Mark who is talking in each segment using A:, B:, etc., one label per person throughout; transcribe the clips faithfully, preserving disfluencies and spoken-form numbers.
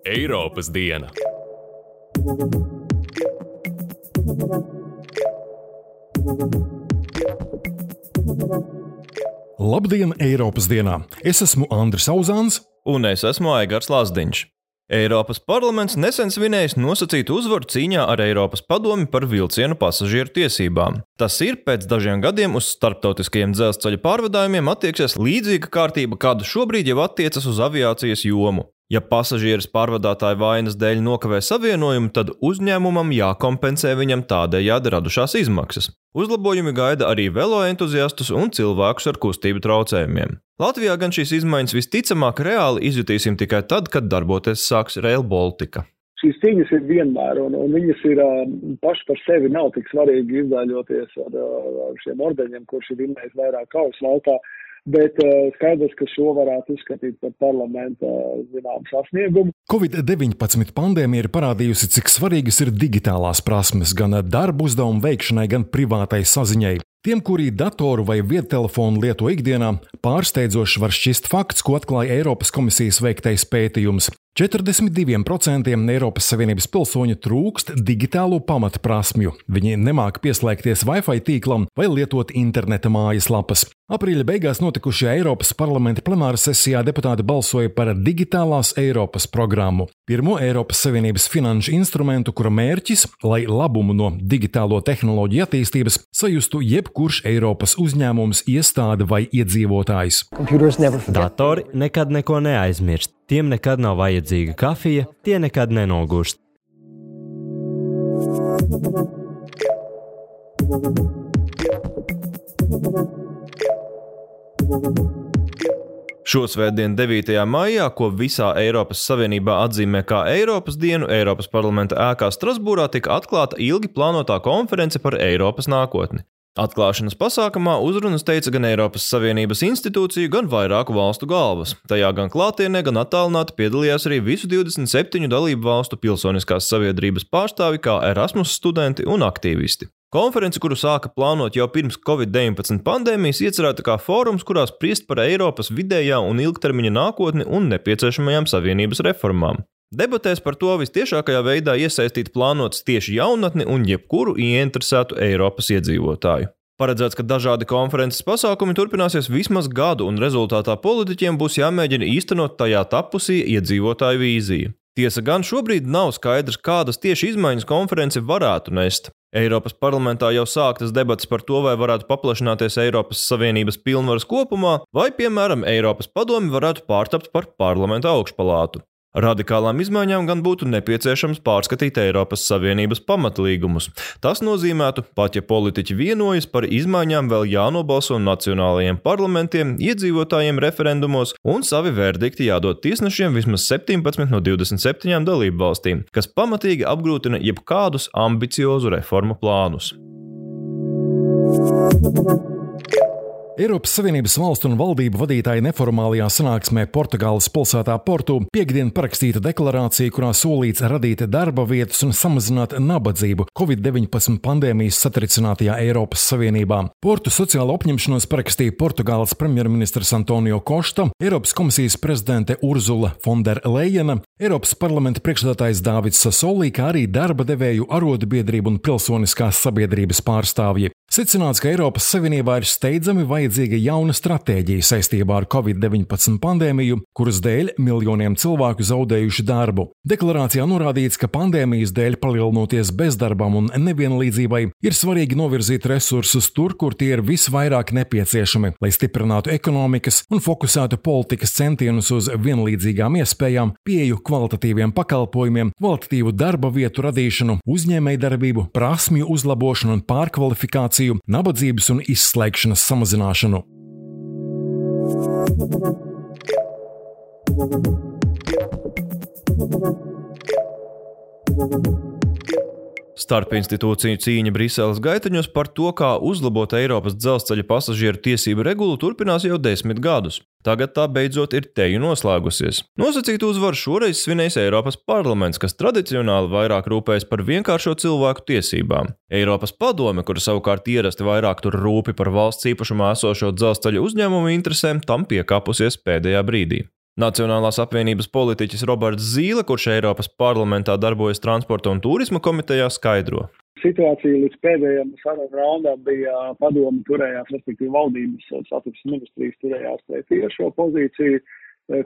A: Eiropas diena.
B: Labdien, Eiropas dienā! Es esmu Andris Auzāns.
C: Un es esmu Aigars Lazdiņš. Eiropas parlaments nesen svinējis nosacītu uzvaru cīņā ar Eiropas padomi par vilcienu pasažieru tiesībām. Tas ir, pēc dažiem gadiem uz starptautiskajiem dzelzceļa pārvadājumiem attieksies līdzīga kārtība, kāda šobrīd jau attiecas uz aviācijas jomu. Ja pasažieris pārvadātāja vainas dēļ nokavē savienojumu, tad uzņēmumam jākompensē viņam tādējādi radušās izmaksas. Uzlabojumi gaida arī veloentuziastus un cilvēkus ar kustību traucējumiem. Latvijā gan šīs izmaiņas visticamāk reāli izjutīsim tikai tad, kad darboties sāks Rail Baltica.
D: Šīs cīņas ir vienmēr, un, un viņas ir paši par sevi nav tik svarīgi izdaļoties ar, ar šiem ordeņiem, kurš ir vinnējis vairāk kaujas laukā. Bet uh, skaidrs, ka šo varētu uzskatīt par parlamenta zinām sasniegumu.
B: covid deviņpadsmit pandēmija ir parādījusi, cik svarīgas ir digitālās prasmes gan darba uzdevumu veikšanai, gan privātai saziņai. Tiem, kuri datoru vai viedtelefonu lieto ikdienā, pārsteidzoši var šķist fakts, ko atklāja Eiropas komisijas veiktais pētījums. četrdesmit divi procenti Eiropas Savienības pilsoņu trūkst digitālo pamatprasmju. Viņi nemāk pieslēgties Wi-Fi tīklam vai lietot interneta mājaslapas. Aprīļa beigās notikušajā Eiropas parlamenta plenāra sesijā deputāti balsoja par digitālās Eiropas programmu. Pirmo Eiropas Savienības finanšu instrumentu, kura mērķis, lai labumu no digitālo tehnoloģiju attīstības sajustu jebkurš Eiropas uzņēmums, iestāde vai iedzīvotājs.
E: Datori nekad neko neaizmirst. Tiem nekad nav vajadzīga kafija, tie nekad nenogurst.
C: Šosvētdien devītajā maijā, ko visā Eiropas Savienībā atzīmē kā Eiropas dienu, Eiropas parlamenta ēkā Strasbūrā tika atklāta ilgi plānotā konference par Eiropas nākotni. Atklāšanas pasākumā uzrunas teica gan Eiropas Savienības institūciju, gan vairāku valstu galvas. Tajā gan klātienē, gan attālināti piedalījās arī visu divdesmit septiņu dalību valstu pilsoniskās sabiedrības pārstāvi, kā Erasmus studenti un aktīvisti. Konference, kuru sāka plānot jau pirms covid deviņpadsmit pandēmijas, iecerēta kā fórums, kurā spriest par Eiropas vidējā un ilgtermiņa nākotni un nepieciešamajām savienības reformām. Debatēs par to vistiešākajā veidā iesaistīt plānots tieši jaunatni un jebkuru ieinteresētu Eiropas iedzīvotāju. Paredzēts, ka dažādi konferences pasākumi turpināsies vismaz gadu, un rezultātā politiķiem būs jāmēģina īstenot tajā tapusī iedzīvotāju vīziju. Tiesa gan šobrīd nav skaidrs, kādas tieši izmaiņas konference varētu nest. Eiropas parlamentā jau sāktas debatas par to, vai varētu paplašināties Eiropas Savienības pilnvaras kopumā, vai, piemēram, Eiropas padomi varētu pārtapt par parlamenta augšpalātu. Radikālām izmaiņām gan būtu nepieciešams pārskatīt Eiropas Savienības pamatlīgumus. Tas nozīmētu, pat ja politiķi vienojas, par izmaiņām vēl jānobalso nacionālajiem parlamentiem, iedzīvotājiem referendumos un savi verdikti jādod tiesnešiem vismaz septiņpadsmit no divdesmit septiņām dalību valstīm, kas pamatīgi apgrūtina jebkādus ambiciozu reformu plānus.
B: Eiropas Savienības valstu un valdību vadītāji neformālajā sanāksmē Portugāles pilsētā Portu piekdien parakstīta deklarācija, kurā solīts radīt darba vietas un samazināt nabadzību covid deviņpadsmit pandēmijas satricinātajā Eiropas Savienībā. Portu sociālo apņemšanos parakstīja Portugāles premjerministrs Antonio Costa, Eiropas komisijas prezidente Urzula Fonderlejena, Eiropas parlamenta priekšsēdētājs Dāvids Sasolī, kā arī darba devēju arotbiedrību un pilsoniskās sabiedrības pārstāvji. Secināts, ka Eiropas Savienībā ir steidzami vajadzīga jauna stratēģija saistībā ar covid deviņpadsmit pandēmiju, kuras dēļ miljoniem cilvēku zaudējuši darbu. Deklarācijā norādīts, ka pandēmijas dēļ palielinoties bezdarbam un nevienlīdzībai ir svarīgi novirzīt resursus tur, kur tie ir visvairāk nepieciešami, lai stiprinātu ekonomikas un fokusētu politikas centienus uz vienlīdzīgām iespējām, pieeju kvalitatīviem pakalpojumiem, kvalitatīvu darba vietu radīšanu, uzņēmējdarbību, prasmju uzlabošanu un pārkvalifikāciju, nabadzības un izslēgšanas samazināšanu.
C: Starpinstitūciju cīņa Briseles gaitaņos par to, kā uzlabot Eiropas dzelzceļa pasažieru tiesību regulu, turpinās jau desmit gadus. Tagad tā beidzot ir teju noslēgusies. Nosacītu uzvaru šoreiz svinējis Eiropas parlaments, kas tradicionāli vairāk rūpējas par vienkāršo cilvēku tiesībām. Eiropas padome, kura savukārt ierasti vairāk tur rūpi par valsts īpašumā esošo dzelzceļa uzņēmumu interesēm, tam piekāpusies pēdējā brīdī. Nacionālās apvienības politiķis Roberts Zīle, kurš Eiropas parlamentā darbojas transporta un turisma komitejā, skaidro.
D: Situācija līdz pēdējiem sarunu raundām bija padomi turējās, respektīvi valdības satiksmes ministrijas turējās pret tiešo pozīciju,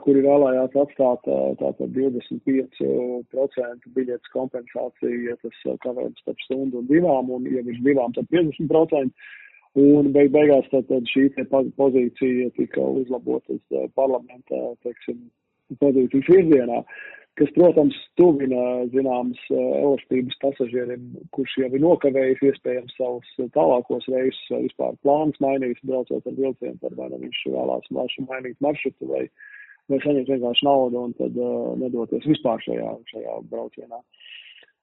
D: kuri vēlējās atstāt tātad divdesmit pieci procenti biļetes kompensāciju, ja tas kavējums starp stundu un divām, un ja viņš divām, tad piecdesmit procenti. Un beig beigās tad, tad šī pozīcija tika uzlabotas parlamentā, teiksim, pozīcijas virzienā, kas, protams, tuvina zināmas elastības pasažierim, kurš jau ir nokavējis iespējams savus tālākos reisus vai vispār plānus mainījis, braucot ar vilcienu, tad vai ne viņš vēlās mainīt maršrutu vai, vai saņemt vienkārši naudu un tad uh, nedoties vispār šajā, šajā braucienā.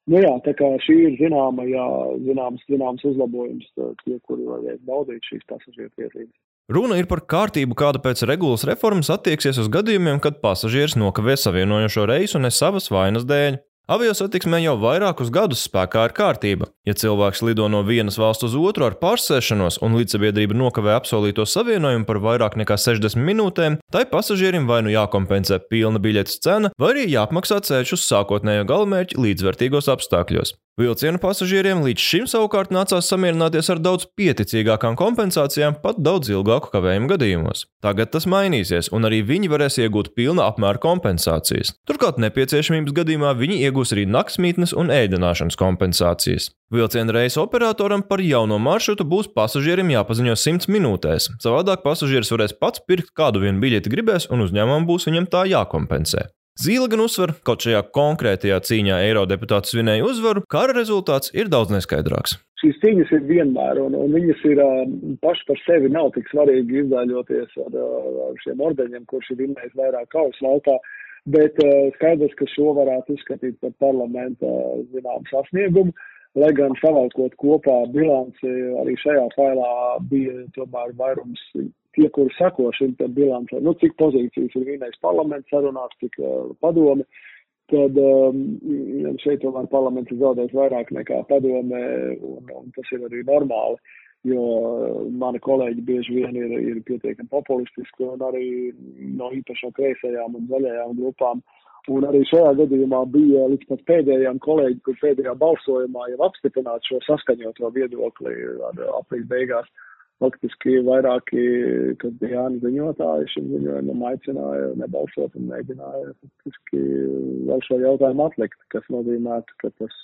D: Nu jā, tā kā šī ir zināma, jā, zināms, zināms uzlabojums tie, kuri varēs baudīt šīs pasažieru tiesības.
C: Runa ir par kārtību, kāda pēc regulas reformas attieksies uz gadījumiem, kad pasažieris nokavē savienojošo reisu ne savas vainas dēļ. Aviosatiksmē jau vairākus gadus spēkā ir kārtība. Ja cilvēks lido no vienas valsts uz otru ar pārsēšanos un līdzsabiedrība nokavē apsolīto savienojumu par vairāk nekā sešdesmit minūtēm, tai pasažierim vai nu jākompensē pilna biļetes cena, vai arī jāapmaksā ceļš uz sākotnējo galamērķi līdzvērtīgos apstākļos. Vilcienu pasažieriem līdz šim savukārt nācās samierināties ar daudz pieticīgākām kompensācijām pat daudz ilgāku kavējumu gadījumos. Tagad tas mainīsies, un arī viņi varēs iegūt pilna apmēra kompensācijas. Turklāt nepieciešamības gadījumā viņi iegūs arī naktsmītnes un ēdināšanas kompensācijas. Vilciena reisa operatoram par jauno maršrutu būs pasažierim jāpaziņo simts minūtēs. Savādāk pasažieris varēs pats pirkt kādu vienu biļeti gribēs, un uzņēmumam būs viņam tā jākompensē. Zīle gan uzsver, kaut šajā konkrētajā cīņā eirodeputāti svinēja uzvaru, kara rezultāts ir daudz neskaidrāks.
D: Šīs cīņas ir vienmēr, un, un viņas ir paši par sevi nav tik svarīgi izdaļoties ar, ar šiem ordeņiem, kurš ir vinnējis vairāk kaujas laukā, bet skaidrs, ka šo varētu uzskatīt par parlamenta zinām sasniegumu, lai gan savalkot kopā bilanci arī šajā failā bija tomēr vairums tie, kuri sako šim bilancē, nu, cik pozīcijas ir vienais parlaments sarunās, cik uh, padome, tad um, šeit tomēr parlaments ir zaudējis vairāk nekā padome, un, un tas ir arī normāli, jo mani kolēģi bieži vien ir, ir pietiekami populistiski, un arī no īpaši no kreisajām un zaļajām grupām. Un arī šajā gadījumā bija līdz pat pēdējām kolēģi, kur pēdējā balsojumā jau apstiprināt šo saskaņoto viedokli ar aprīļa beigās. Faktiski vairāki, kad bija Jāni ziņotāji, šim ziņojumam aicināja nebalsot un mēģināja faktiski vēl šo jautājumu atlikt, kas nozīmētu, ka tas,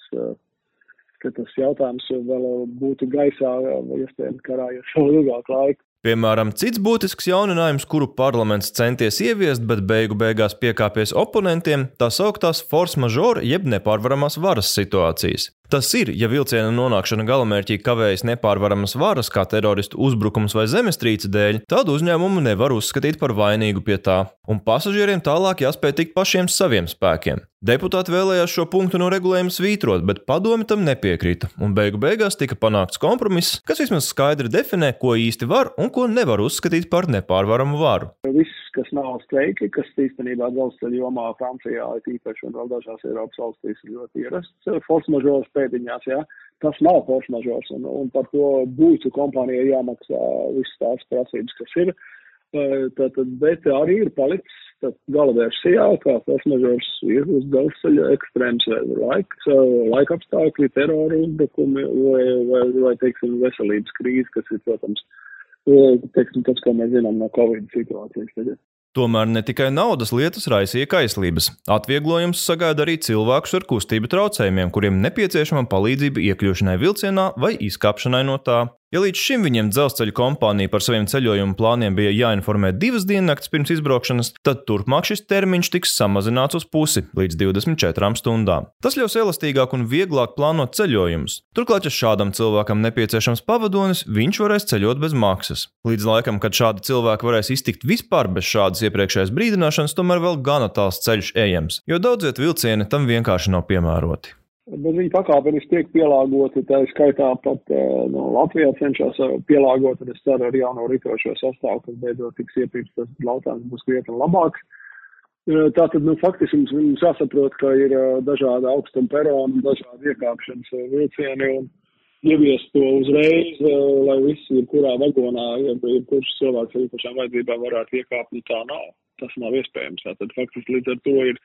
D: ka tas jautājums vēl būtu gaisā, iespējams karājies vēl ilgāk laiku.
C: Piemēram, cits būtisks jauninājums, kuru parlaments centies ieviest, bet beigu beigās piekāpies oponentiem, tā sauktās force majeure jeb nepārvaramās varas situācijas. Tas ir, ja vilciena nonākšana galamērķī kavējas nepārvaramas varas, kā teroristu uzbrukums vai zemestrīce dēļ, tad uzņēmumu nevar uzskatīt par vainīgu pie tā, un pasažieriem tālāk jāspēj tikt pašiem saviem spēkiem. Deputāti vēlējās šo punktu no regulējuma svītrot, bet padomi tam nepiekrita, un beigu beigās tika panākts kompromiss, kas vismaz skaidri definē, ko īsti var un ko nevar uzskatīt par nepārvaramu varu.
D: Viss, kas nav streiki, kas īstenībā dzelzceļa jomā Francijā ir īpaši un vēl dažās Eiropas valstīs ir ļoti ierasts, force majeure pēdiņās, jā, tas nav force majeure, un, un par to būtu kompānijai jāmaksā visas tās prasības, kas ir, tad, bet arī ir palicis galavērsijā, kā force majeure ir uz dzelzceļa ekstrēms laiks, laika apstākļi, terora uzbrukumi vai, vai, vai, teiksim, veselības krīze, kas ir, protams, teiksim, tas, ko mēs zinām no Covid situācijas tagad.
C: Tomēr ne tikai naudas lietas raisīja kaislības. Atvieglojums sagaida arī cilvēkus ar kustību traucējumiem, kuriem nepieciešama palīdzība iekļūšanai vilcienā vai izkāpšanai no tā. Ja līdz šim viņiem dzelzceļa kompānija par saviem ceļojumu plāniem bija jāinformē divas diennakts pirms izbraukšanas, tad turpmāk šis termiņš tiks samazināts uz pusi līdz divdesmit četrām stundām. Tas ļaus elastīgāk un vieglāk plānot ceļojumus. Turklāt, ja šādam cilvēkam nepieciešams pavadonis, viņš varēs ceļot bez maksas. Līdz laikam, kad šādi cilvēki varēs iztikt vispār bez šādas iepriekšējās brīdināšanas, tomēr vēl gana tāls ceļš ejams, jo daudziet vilcieni tam vienkārši nav piemēroti.
D: bet viņi pakāpeniski tiek pielāgoti, tā skaitā pat no Latvijā cenšas pielāgot, un es ceru ar jauno ritošo sastāvu, kas beidzot tiks iepirkts, tas lautāns būs krietni labāks. Tātad, nu, faktiski mums, mums jāsaprot, ka ir dažādi augstuma peroni, dažādi iekāpšanas vilcieni, un ieviest to uzreiz, lai visi, kurā vagonā, ja kurš cilvēks ar īpašām vajadzībām varētu iekāpt, nu tā nav. Tas nav iespējams. Tātad faktiski līdz ar to ir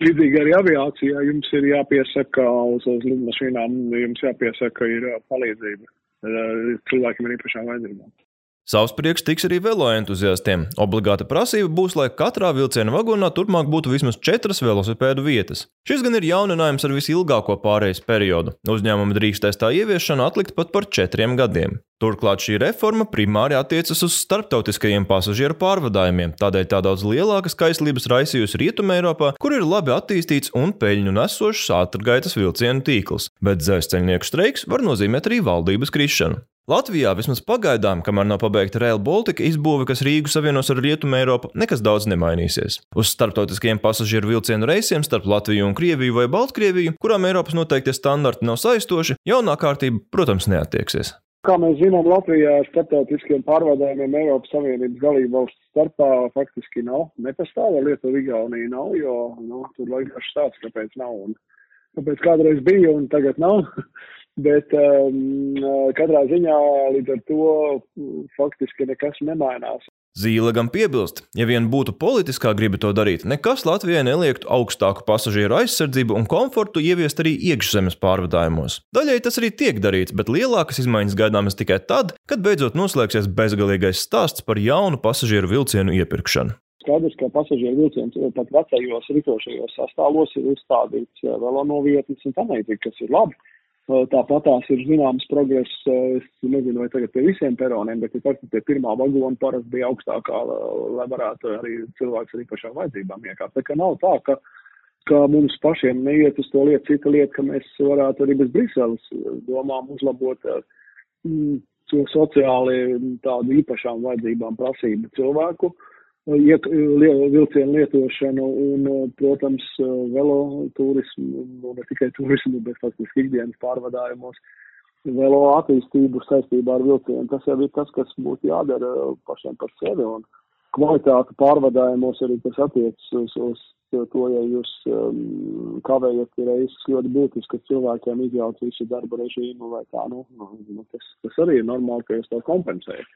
D: līdzīgi arī aviācijā. Jums ir jāpiesaka uz, uz lidmašīnām, jums jāpiesaka ir palīdzība cilvēkiem ar īpašām vajadzībām.
C: Savs prieks tiks arī veloentuziastiem. Obligāta prasība būs, lai katrā vilciena vagonā turpmāk būtu vismaz četras velosipēdu vietas. Šis gan ir jauninājums ar visilgāko pārejas periodu. Uzņēmumi drīkstēs tā ieviešanu atlikt pat par četriem gadiem. Turklāt šī reforma primāri attiecas uz starptautiskajiem pasažieru pārvadājumiem, tādēļ tā daudz lielākas kaislības raisījusi Rietumē Eiropā, kur ir labi attīstīts un peļņu nesošs ātrgaitas vilcienu tīkls, bet dzelzceļnieku streiks var nozīmēt arī valdības krišanu. Latvijā vismaz pagaidām, kamēr nav pabeigta Rail Baltica izbūve, kas Rīgu savienos ar Rietumu Eiropu, nekas daudz nemainīsies. Uz starptautiskajiem pasažieru vilcienu reisiem starp Latviju un Krieviju vai Baltkrieviju, kurām Eiropas noteiktie standarti nav saistoši, jaunā kārtība, protams, neattieksies.
D: Kā mēs zinām, Latvijā ar starptautiskiem pārvadājumiem Eiropas Savienības dalību valstu starpā faktiski nav. Nepastāv, Lietuva, Igaunija nav, jo nu, tur laikās stāsts, kāpēc nav. Un, kāpēc kādreiz bija un tagad nav. Bet um, katrā ziņā līdz ar to faktiski nekas nemainās.
C: Zīle gan piebilst, ja vien būtu politiskā griba to darīt, nekas Latvijai neliektu augstāku pasažieru aizsardzību un komfortu ieviest arī iekšzemes pārvadājumos. Daļai tas arī tiek darīts, bet lielākas izmaiņas gaidāmas tikai tad, kad beidzot noslēgsies bezgalīgais stāsts par jaunu pasažieru vilcienu iepirkšanu.
D: Skaidrs, ka pasažieru vilciens pat vecajos ritošajos sastāvos ir uzstādīts velonovietnes un tam līdzīgi, kas ir labi. Tāpat tās ir zināms progress, es nezinu, vai tagad pie visiem peroniem, bet ir faktiski pie pirmā vagona parasti bija augstākā, lai varētu arī cilvēks ar īpašām vajadzībām iekāpt. Tā kā nav tā, ka, ka mums pašiem neiet uz to lietu, cita lieta, ka mēs varētu arī bez Briseles domām uzlabot mm, to sociāli tādu īpašām vajadzībām prasību cilvēku, iek, vilcienu lietošanu un, protams, velotūrismu, nu, ne tikai turismu, bet faktiski ikdienas pārvadājumos, velo attīstību saistībā ar vilcienu. Tas jau ir tas, kas būtu jādara pašiem par sevi, un kvalitāte pārvadājumos arī tas attiecas uz, uz to, ja jūs um, kavējat reizes ļoti būtiski, ka cilvēkiem izjauc visu darba režīmu vai tā, nu, nu tas, tas arī ir normāli, ka jūs to kompensējat.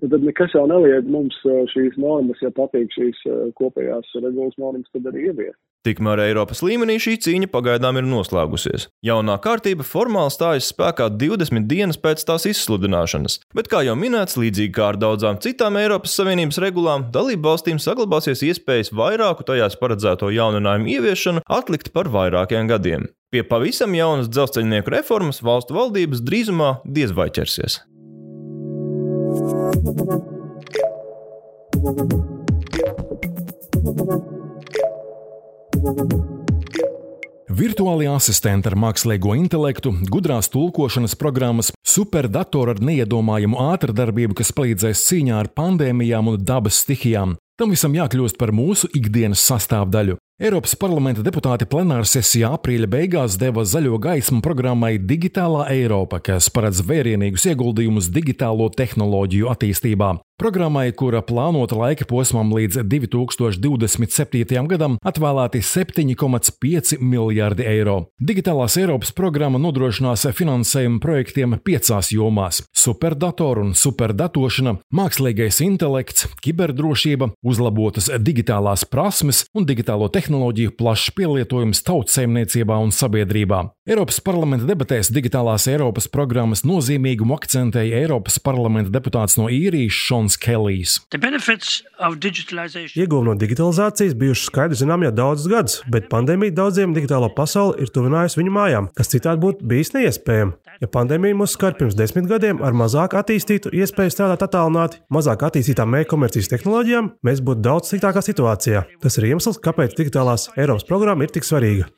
D: Tad nekas jau neliek mums šīs normas, ja patīk šīs kopējās regulas normas, tad arī ievies.
C: Tikmēr Eiropas līmenī šī cīņa pagaidām ir noslēgusies. Jaunā kārtība formāli stājas spēkā divdesmit dienas pēc tās izsludināšanas, bet, kā jau minēts, līdzīgi kā ar daudzām citām Eiropas Savienības regulām, dalību valstīm saglabāsies iespējas vairāku tajās paredzēto jauninājumu ieviešanu atlikt par vairākiem gadiem. Pie pavisam jaunas dzelzceļnieku reformas valstu valdības drīzumā diez vai ķersies.
B: Virtuālie asistenti ar mākslīgo intelektu, gudrās tulkošanas programmas, superdatori ar neiedomājamu ātrdarbību, kas palīdzēs cīņā ar pandēmijām un dabas stihijām. Tam visam jākļūst par mūsu ikdienas sastāvdaļu. Eiropas parlamenta deputāti plenāra sesijā aprīļa beigās deva zaļo gaismu programmai Digitālā Eiropa, kas paredz vērienīgus ieguldījumus digitālo tehnoloģiju attīstībā. Programmai, kura plānota laika posmam līdz divi tūkstoši divdesmit septītajam gadam, atvēlēti septiņi komats pieci miljardi eiro. Digitālās Eiropas programma nodrošinās finansējumu projektiem piecās jomās – superdatoru un superdatošana, mākslīgais intelekts, kiberdrošība, uzlabotas digitālās prasmes un digitālo tehnoloģiju plašs pielietojums tautsaimniecībā un sabiedrībā. Eiropas parlamenta debatēs Digitālās Eiropas programmas nozīmīgumu akcentēja Eiropas parlamenta deputāts no Īrijas Šons Kelijs.
F: Ieguvumi no digitalizācijas bijuši skaidri zinām jau daudzus gadus, bet pandēmija daudziem digitālo pasauli ir tuvinājusi viņu mājām, kas citādi būtu bijis neiespējami. Ja pandēmija mūs skar pirms desmit gadiem ar mazāk attīstītu iespēju strādāt attālināti, mazāk attīstītām e-komercijas tehnoloģijām, mēs būtu daudz sliktākā situācijā. Tas ir iemesls, kāpēc Digitālās Eiropas programma ir tik svarīga.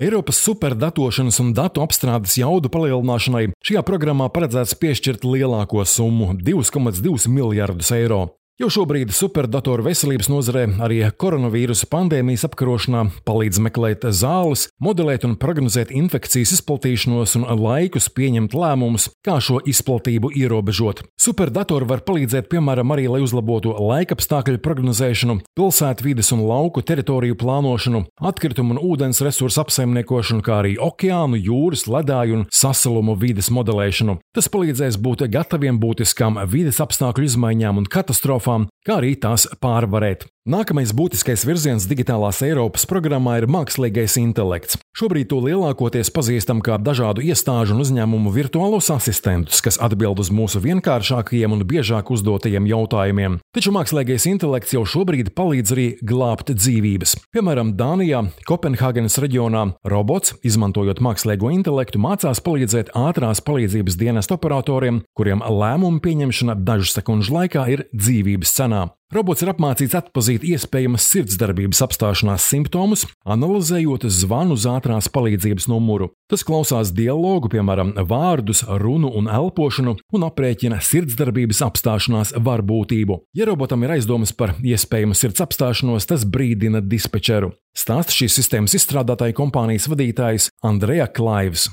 B: Eiropas superdatošanas un datu apstrādes jaudu palielināšanai šajā programmā paredzēts piešķirt lielāko summu – divi komats divi miljardus eiro. Jau šobrīd superdatoru veselības nozarē arī koronavīrusa pandēmijas apkarošanā palīdz meklēt zāles, modelēt un prognozēt infekcijas izplatīšanos un laikus pieņemt lēmumus, kā šo izplatību ierobežot. Superdatori var palīdzēt, piemēram, arī, lai uzlabotu laikapstākļu prognozēšanu, pilsētvides un lauku teritoriju plānošanu, atkritumu un ūdens resursu apsaimniekošanu, kā arī okeānu, jūras, ledāju un sasalumu vides modelēšanu. Tas palīdzēs būt gataviem būtiskām vides apstākļu izmaiņām un katastrofām, kā arī tās pārvarēt. Nākamais būtiskais virziens digitālās Eiropas programmā ir mākslīgais intelekts. Šobrīd to lielākoties pazīstam kā dažādu iestāžu un uzņēmumu virtuālos asistentus, kas atbild uz mūsu vienkāršākajiem un biežāk uzdotajiem jautājumiem. Taču mākslīgais intelekts jau šobrīd palīdz arī glābt dzīvības. Piemēram, Dānijā, Kopenhāgenes reģionā, robots, izmantojot mākslīgo intelektu, mācās palīdzēt ātrās palīdzības dienestu operatoriem, kuriem lēmumu pieņemšana dažu sekundžu laikā ir dzīvības cenā. Robots ir apmācīts atpazīt iespējamas sirdsdarbības apstāšanās simptomus, analizējot zvanu uz ātrās palīdzības numuru. Tas klausās dialogu, piemēram, vārdus, runu un elpošanu, un aprēķina sirdsdarbības apstāšanās varbūtību. Ja robotam ir aizdomas par iespējamu sirds apstāšanos, tas brīdina dispečeru. Stāsta šīs sistēmas izstrādātāja kompānijas vadītājs Andreja Klaivs.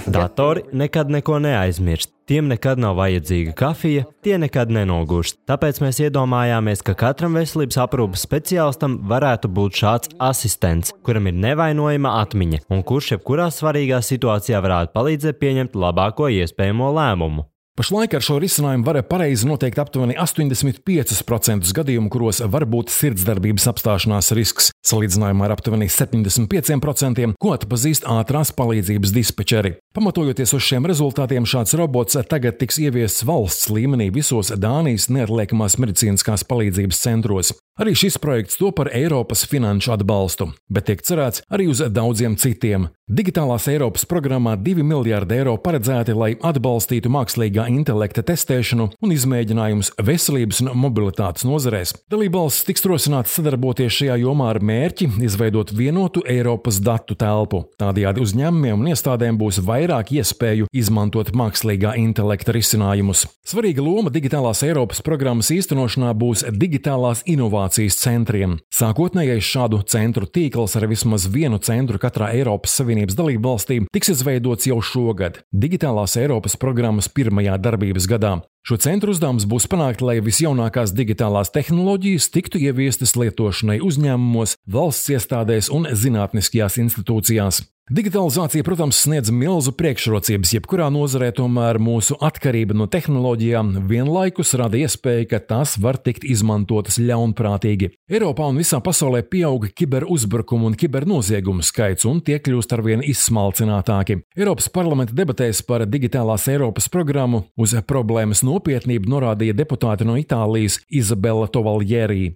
E: Datori nekad neko neaizmirst. Tiem nekad nav vajadzīga kafija, tie nekad nenogurst. Tāpēc mēs iedomājāmies, ka katram veselības aprūpes speciālistam varētu būt šāds asistents, kuram ir nevainojama atmiņa un kurš jebkurā svarīgā situācijā varētu palīdzēt pieņemt labāko iespējamo lēmumu.
B: Pašlaik ar šo risinājumu var pareizi noteikt aptuveni astoņdesmit pieci procenti gadījumu, kuros var būt sirdsdarbības apstāšanās risks, salīdzinājumā ar aptuveni septiņdesmit pieciem procentiem, ko atpazīst ātrās palīdzības dispečeri. Pamatojoties uz šiem rezultātiem, šāds robots tagad tiks ieviests valsts līmenī visos Dānijas neatliekamās medicīniskās palīdzības centros. Arī šis projekts to par Eiropas finanšu atbalstu, bet tiek cerēts arī uz daudziem citiem. Digitālās Eiropas programmā divi miljārdi eiro paredzēti, lai atbalstītu mākslīgā intelekta testēšanu un izmēģinājumus veselības un mobilitātes nozarēs. Dalībvalstis tiks rosināts sadarboties šajā jomā ar mērķi izveidot vienotu Eiropas datu telpu. Tādējādi uzņēmumiem un iestādēm būs vairāk iespēju izmantot mākslīgā intelekta risinājumus. Svarīga loma digitālās Eiropas programmas īstenošanā būs digitālās inovācijas centriem. Sākotnējais šādu centru tīkls ar vismaz vienu centru katrā Eiropas Savienības dalību valstī tiks izveidots jau šogad, digitālās Eiropas programmas pirmajā darbības gadā. Šo centru uzdevums būs panākt, lai visjaunākās digitālās tehnoloģijas tiktu ieviestas lietošanai uzņēmumos, valsts iestādēs un zinātniskajās institūcijās. Digitalizācija, protams, sniedz milzu priekšrocības jebkurā nozarē, tomēr mūsu atkarība no tehnoloģijām vienlaikus rada iespēju, ka tās var tikt izmantotas ļaunprātīgi. Eiropā un visā pasaulē pieauga kiberuzbrukumu un kibernoziegumu skaits, un tie kļūst arvien izsmalcinātāki. Eiropas parlamenta debatēs par digitālās Eiropas programmu uz problēmas nopietnību norādīja deputāte no Itālijas Izabela Tovaljērī.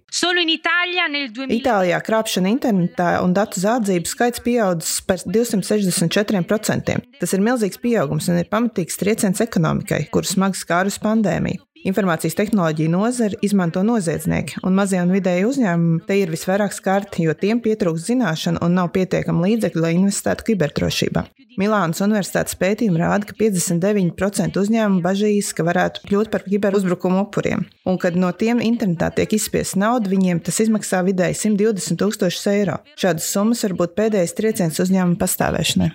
G: Itālijā krāpšana internetā un datu zādzību skaits pieaudzis par divsimt sešdesmit četriem procentiem. Tas ir milzīgs pieaugums un ir pamatīgs trieciens ekonomikai, kuru smagi skārus pandēmija. Informācijas tehnoloģiju nozari izmanto noziedznieki, un mazie un vidēji uzņēmumi te ir visvairāk skarti, jo tiem pietrūkst zināšanu un nav pietiekami līdzekļu, lai investētu kiberdrošībā. Milānas universitātes pētījumi rāda, ka piecdesmit deviņi procenti uzņēmumu bažīs, ka varētu kļūt par kiberuzbrukumu upuriem, un kad no tiem internetā tiek izspiesta nauda, viņiem tas izmaksā vidēji simt divdesmit tūkstošus eiro. Šādas summas var būt pēdējais trieciens uzņēmuma pastāvēšanai.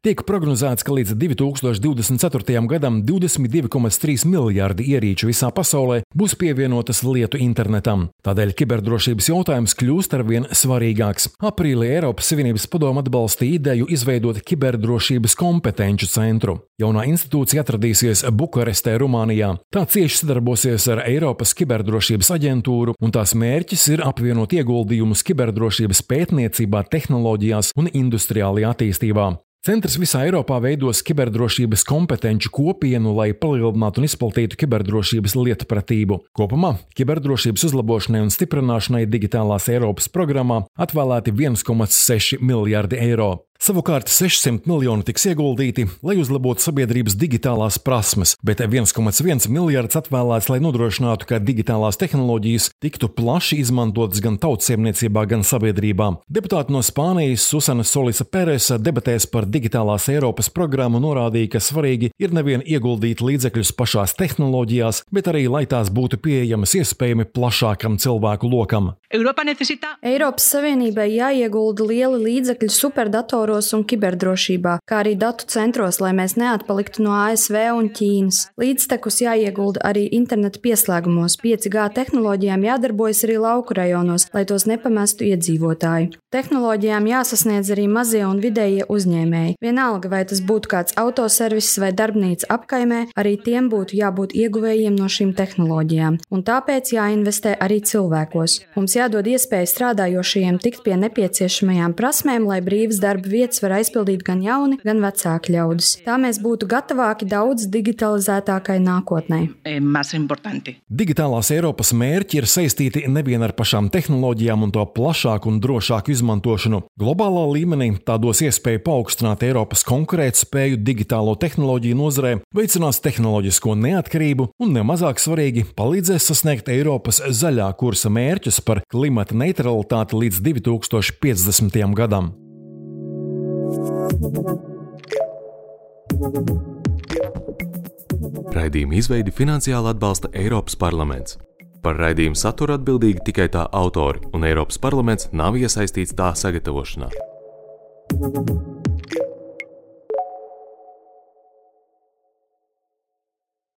B: Tiek prognozēts, ka līdz divi tūkstoši divdesmit ceturtajam gadam divdesmit divi komats trīs miljārdi ierīču visā pasaulē būs pievienotas lietu internetam. Tādēļ kiberdrošības jautājums kļūst arvien svarīgāks. Aprīlī Eiropas Savienības padome atbalstīja ideju izveidot kiberdrošības kompetenču centru. Jaunā institūcija atradīsies Bukarestē, Rumānijā. Tā cieši sadarbosies ar Eiropas kiberdrošības aģentūru, un tās mērķis ir apvienot ieguldījumus kiberdrošības pētniecībā, tehnoloģijās un industriālajā attīstībā. Centrs visā Eiropā veidos kiberdrošības kompetenču kopienu, lai palielinātu un izplatītu kiberdrošības lietpratību. Kopumā kiberdrošības uzlabošanai un stiprināšanai digitālās Eiropas programmā atvēlēti viens komats seši miljārdi eiro. Savukārt sešsimt miljoni tiks ieguldīti, lai uzlabotu sabiedrības digitālās prasmes, bet viens komats viens miljards atvēlēts, lai nodrošinātu, ka digitālās tehnoloģijas tiktu plaši izmantotas gan tautsēmniecībā, gan sabiedrībā. Deputāti no Spānijas Susana Solisa Peresa debatēs par digitālās Eiropas programmu norādīja, ka svarīgi ir nevien ieguldīt līdzekļus pašās tehnoloģijās, bet arī, lai tās būtu pieejamas iespējami plašākam cilvēku lokam.
H: Eiropas Savienībai jāiegulda lieli līdzekļi superdatoros un kiberdrošībā, kā arī datu centros, lai mēs neatpaliktu no A S V un Ķīnas. Līdztekus jāiegulda arī interneta pieslēgumos, pieci G tehnoloģijām jādarbojas arī lauku rajonos, lai tos nepamestu iedzīvotāji. Tehnoloģijām jāsasniedz arī mazie un vidējie uzņēmēji. Vienalga, vai tas būtu kāds autoserviss vai darbnīca apkaimē, arī tiem būtu jābūt ieguvējiem no šīm tehnoloģijām. Un tāpēc jāinvestē arī cilvēkos. Mums jādod iespēja strādājošajiem tikt pie nepieciešamajām prasmēm, lai brīvas darba vietas var aizpildīt gan jauni, gan vecāki ļaudis. Tā mēs būtu gatavāki daudz digitalizētākai nākotnē.
B: Digitālās Eiropas mērķi ir saistīti nevien ar pašām tehnoloģijām un to plašāku un drošāku izmantošanu. Globālā līmenī tā dos iespēju paaugstināt Eiropas konkurētspēju digitālo tehnoloģiju nozarē, veicinās tehnoloģisko neatkarību un, nemazāk svarīgi, palīdzēs sasniegt Eiropas zaļā kursa mērķus par klimata neutralitāti līdz divi tūkstoši piecdesmitajam gadam.
A: Raidījuma izveidi finansiāli atbalsta Eiropas parlaments. Par raidījumu saturu atbildīgi tikai tā autori, un Eiropas parlaments nav iesaistīts tā sagatavošanā.